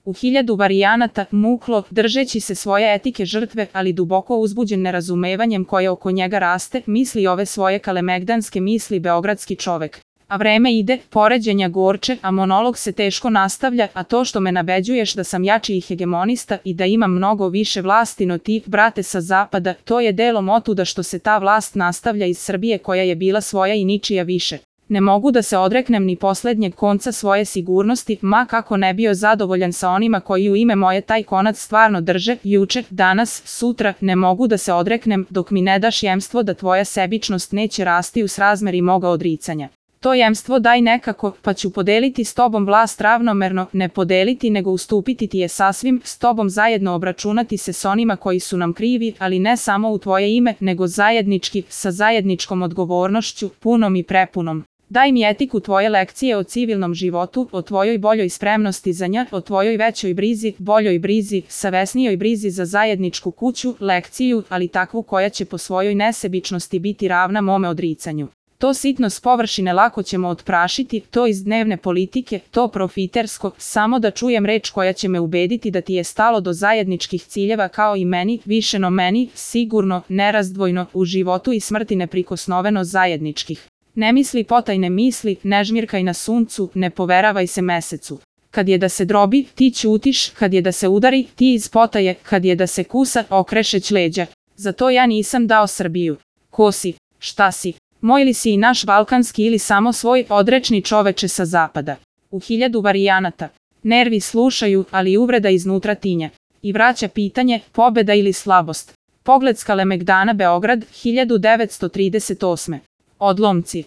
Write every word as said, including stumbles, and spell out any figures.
U hiljadu varijanata, muklo, držeći se svoje etike žrtve, ali duboko uzbuđen nerazumevanjem koje oko njega raste, misli ove svoje kalemegdanske misli beogradski čovek. A vreme ide, poređenja gorče, a monolog se teško nastavlja, a to što me nabeđuješ da sam jači i hegemonista i da imam mnogo više vlasti no ti, brate sa zapada, to je delom otuda što se ta vlast nastavlja iz Srbije koja je bila svoja i ničija više. Ne mogu da se odreknem ni poslednjeg konca svoje sigurnosti, ma kako ne bio zadovoljan sa onima koji u ime moje taj konac stvarno drže, juče, danas, sutra, ne mogu da se odreknem dok mi ne daš jemstvo da tvoja sebičnost neće rasti u srazmeri moga odricanja. To jemstvo daj nekako, pa ću podeliti s tobom vlast ravnomerno, ne podeliti nego ustupiti ti je sasvim, s tobom zajedno obračunati se s onima koji su nam krivi, ali ne samo u tvoje ime, nego zajednički, sa zajedničkom odgovornošću, punom i prepunom. Daj mi etiku tvoje lekcije o civilnom životu, o tvojoj boljoj spremnosti za nja, o tvojoj većoj brizi, boljoj brizi, savesnijoj brizi za zajedničku kuću, lekciju, ali takvu koja će po svojoj nesebičnosti biti ravna mome odricanju. To sitno s površine lako ćemo otprašiti, to iz dnevne politike, to profitersko, samo da čujem reč koja će me ubediti da ti je stalo do zajedničkih ciljeva kao i meni, više no meni, sigurno, nerazdvojno, u životu i smrti neprikosnoveno zajedničkih. Ne misli potajne misli, ne žmirkaj na suncu, ne poveravaj se mesecu. Kad je da se drobi, ti ćutiš, kad je da se udari, ti iz potaje, kad je da se kusa, okrešeć leđa. Zato ja nisam dao Srbiju. Ko si? Šta si? Moj li si i naš balkanski ili samo svoj odrečni čoveče sa zapada? U hiljadu varijanata. Nervi slušaju, ali uvreda iznutra tinja. I vraća pitanje, pobeda ili slabost. Pogled s Kalemegdana Beograd, hiljadu devetsto trideset osme. Odlomci.